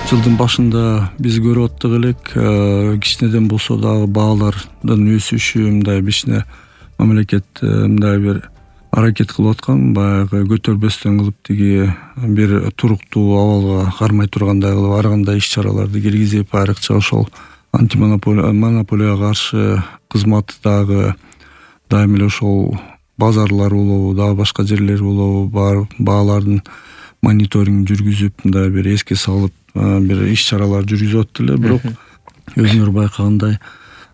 Жылдын башында биз көрүп аттык элек, кичинеден болсо дагы баалардын өсүшү, мындай кичине мамлекет мындай бир аракет кылып аткан, баягы көтөрбөстөн кылып тиги бир туруктуу абалга кармай тургандай кылып ар кандай иш-чараларды киргизип, айрыкча ошол монополияга каршы кызматы дагы дайым эле ошол базарлар болобу, дагы башка жерлер болобу, баалардын мониторинг жүргүзүп, мындай бир эске салып бир иш-чаралар жүргүзүп аттыр эле. Бирок өзүңөр байкагандай,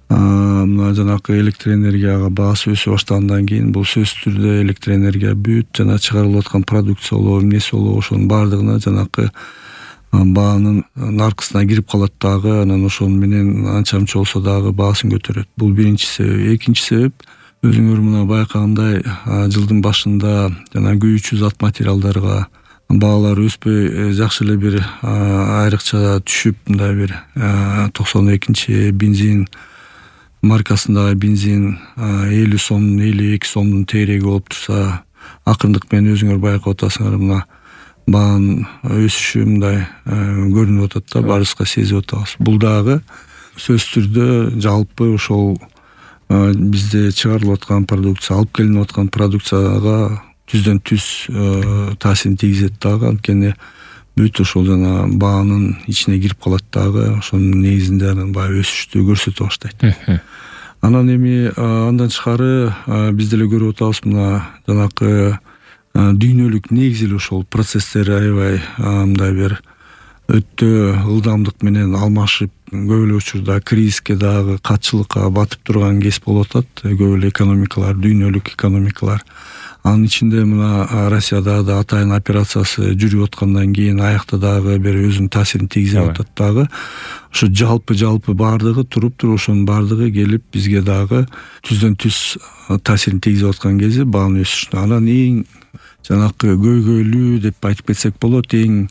мына жанакы электр энергияга баасы өсө баштагандан кийин бул сөзсүз түрдө электр энергия бүт жана чыгарылып аткан продукция болобу, эмнеси болобу, ошонун баардыгына жанакы баанын наркысына кирип калат дагы, анан ошол менен анча мынча болсо дагы баасын көтөрөт. Бул биринчи себеп. Экинчи себеп, өзүңөр мына байкагандай, жылдын башында жана күйүүчү зат материалдарга баалар өспөй жакшы эле бир айрыкча түшүп, мындай бир 92 бензин маркасындагы бензин 50 сом, 52 сомдун тегереги болуп турса, акырындык менен өзүңөр байкап атасыңар, мына баанын өсүшү мындай көрүнүп атат да, баарыбызга сезип атабыз. Бул дагы сөзсүз түрдө жалпы ошол бизде чыгарылып аткан продукция, алып келинип аткан продукцияга түздөн түз таасирин тийгизет дагы, анткени бүт ошол жана баанын ичине кирип калат дагы, ошонун негизинде анан баягы өсүштү көрсөтө баштайт. Анан эми андан тышкары биз деле көрүп атабыз, мына жанакы дүйнөлүк негизи эле ошол процесстер аябай мындай бир өтө ылдамдык менен алмашып, көп эле учурда кризиске дагы катчылыкка батып турган кез болуп атат. Көп эле экономикалар, дүйнөлүк экономикалар. Анын ичинде мына Россияда да атайын операциясы жүрүп аткандан кийин аякта дагы бир өзүнүн таасирин тийгизип атат дагы. Ошо жалпы баардыгы туруп ошонун баардыгы келип бизге дагы түздөн түз таасирин тийгизип аткан кези баанын өсүшүнө. Анан эң жанакы көйгөйлүү деп айтып кетсек болот, эң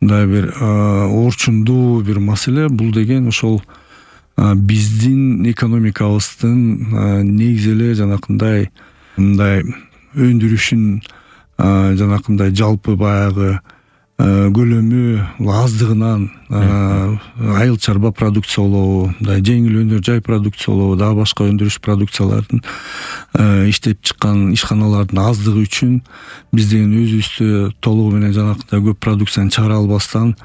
мындай бир орчундуу бир маселе бул деген ошол биздин экономикабыздын негизи эле жанакындай мындай өндүрүшүн жанакындай жалпы баягы көлөмү аздыгынан айыл чарба продукция болобу, мындай жеңил өнөр жай продукция болобу, дагы башка өндүрүш продукциялардын иштеп чыккан ишканалардын аздыгы үчүн биз деген өзүбүздө толугу менен жанакындай көп продукцияны чыгара албастан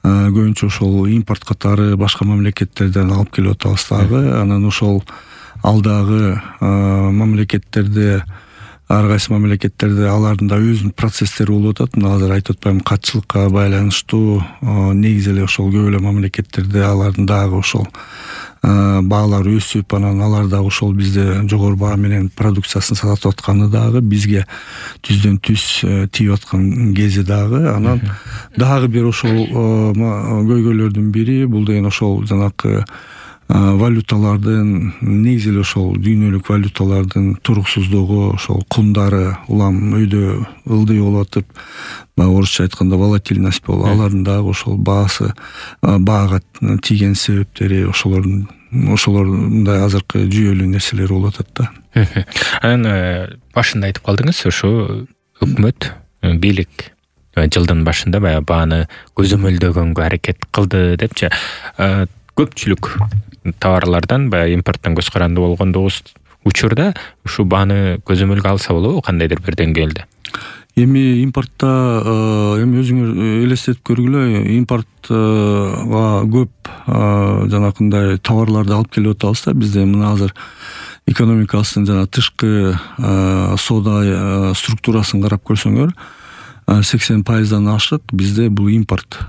көбүнчө ошол импорт катары башка мамлекеттерден алып келип атабыз дагы. Анан ошол алдагы мамлекеттерде, ар кайсы мамлекеттерде алардын да өзүнүн процесстери болуп атат. Мына азыр айтып атпаймынбы, катчылыкка байланыштуу негизи эле ошол көп эле мамлекеттерде алардын дагы ошол баалар өсүп, анан алар дагы ошол бизде жогору баа менен продукциясын сатып атканы дагы бизге түздөн түз тийип аткан кези дагы. Анан дагы бир ошол көйгөйлөрдүн бири бул деген ошол жанакы валюталардын, негизи эле ошол дүйнөлүк валюталардын туруксуздугу, ошол кундары улам өйдө ылдый болуп атып, орусча айтканда волатильность болуп, алардын дагы ошол баага тийген себептери ошолордун мындай азыркы жүйөлүү нерселер болуп атат да. Анан башында айтып калдыңыз, ошо өкмөт, бийлик жылдын башында баягы бааны көзөмөлдөгөнгө аракет кылды депчи. Көпчүлүк товарлардан баягы импорттон көз каранды болгондугубуз учурда ушу бааны көзөмөлгө алса болобу кандайдыр бир деңгээлде? Эми импортто эми өзүңөр элестетип көргүлө, импортко көп жанакындай товарларды алып келип атабыз да. Бизде мына азыр экономикасынын жана тышкы соода структурасын карап көрсөңөр, 80% ашык бизде бул импорт.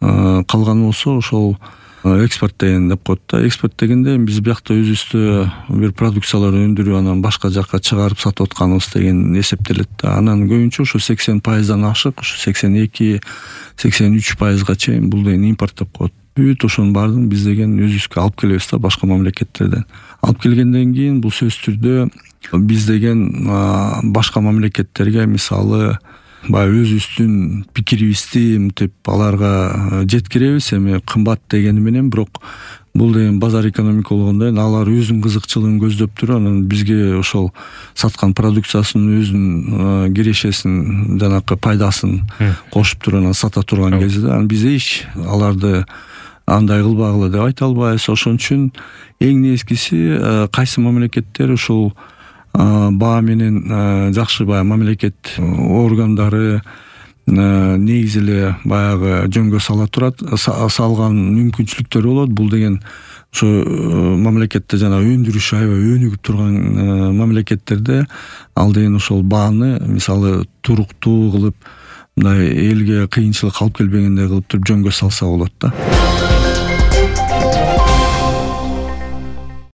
Калганы болсо ошол экспорт деген деп коет да. Экспорт дегенде биз биякта өзүбүздө бир продукцияларды өндүрүп анан башка жакка чыгарып сатып атканыбыз деген эсептелет да. Анан көбүнчө ошо 80% ашык, ошо 82-83%га чейин бул деген импорт деп коет. Бүт ошонун баардыгын биз деген өзүбүзгө алып келебиз да, башка мамлекеттерден. Алып келгенден кийин бул сөзсүз түрдө биз деген башка мамлекеттерге, мисалы, баягы өзүбүздүн пикирибизди мынтип аларга жеткиребиз. Эми кымбат дегени менен, бирок бул деген базар экономика болгондо алар өзүнүн кызыкчылыгын көздөп туруп анан бизге ошол саткан продукциясынын өзүнүн кирешесин жанакы пайдасын кошуп туруп анан сата турган кезде анан биз эч аларды андай кылбагыла деп айта албайбыз. Ошон үчүн эң негизгиси кайсы мамлекеттер ушул баа менен жакшы баягы мамлекет органдары негизи эле баягы жөнгө сала турат, салган мүмкүнчүлүктөр болот. Бул деген ошо мамлекетте жана өндүрүшү аябай өнүгүп турган мамлекеттерде ал деген ошол бааны мисалы туруктуу кылып, мындай элге кыйынчылык алып келбегендей кылып туруп жөнгө салса болот да.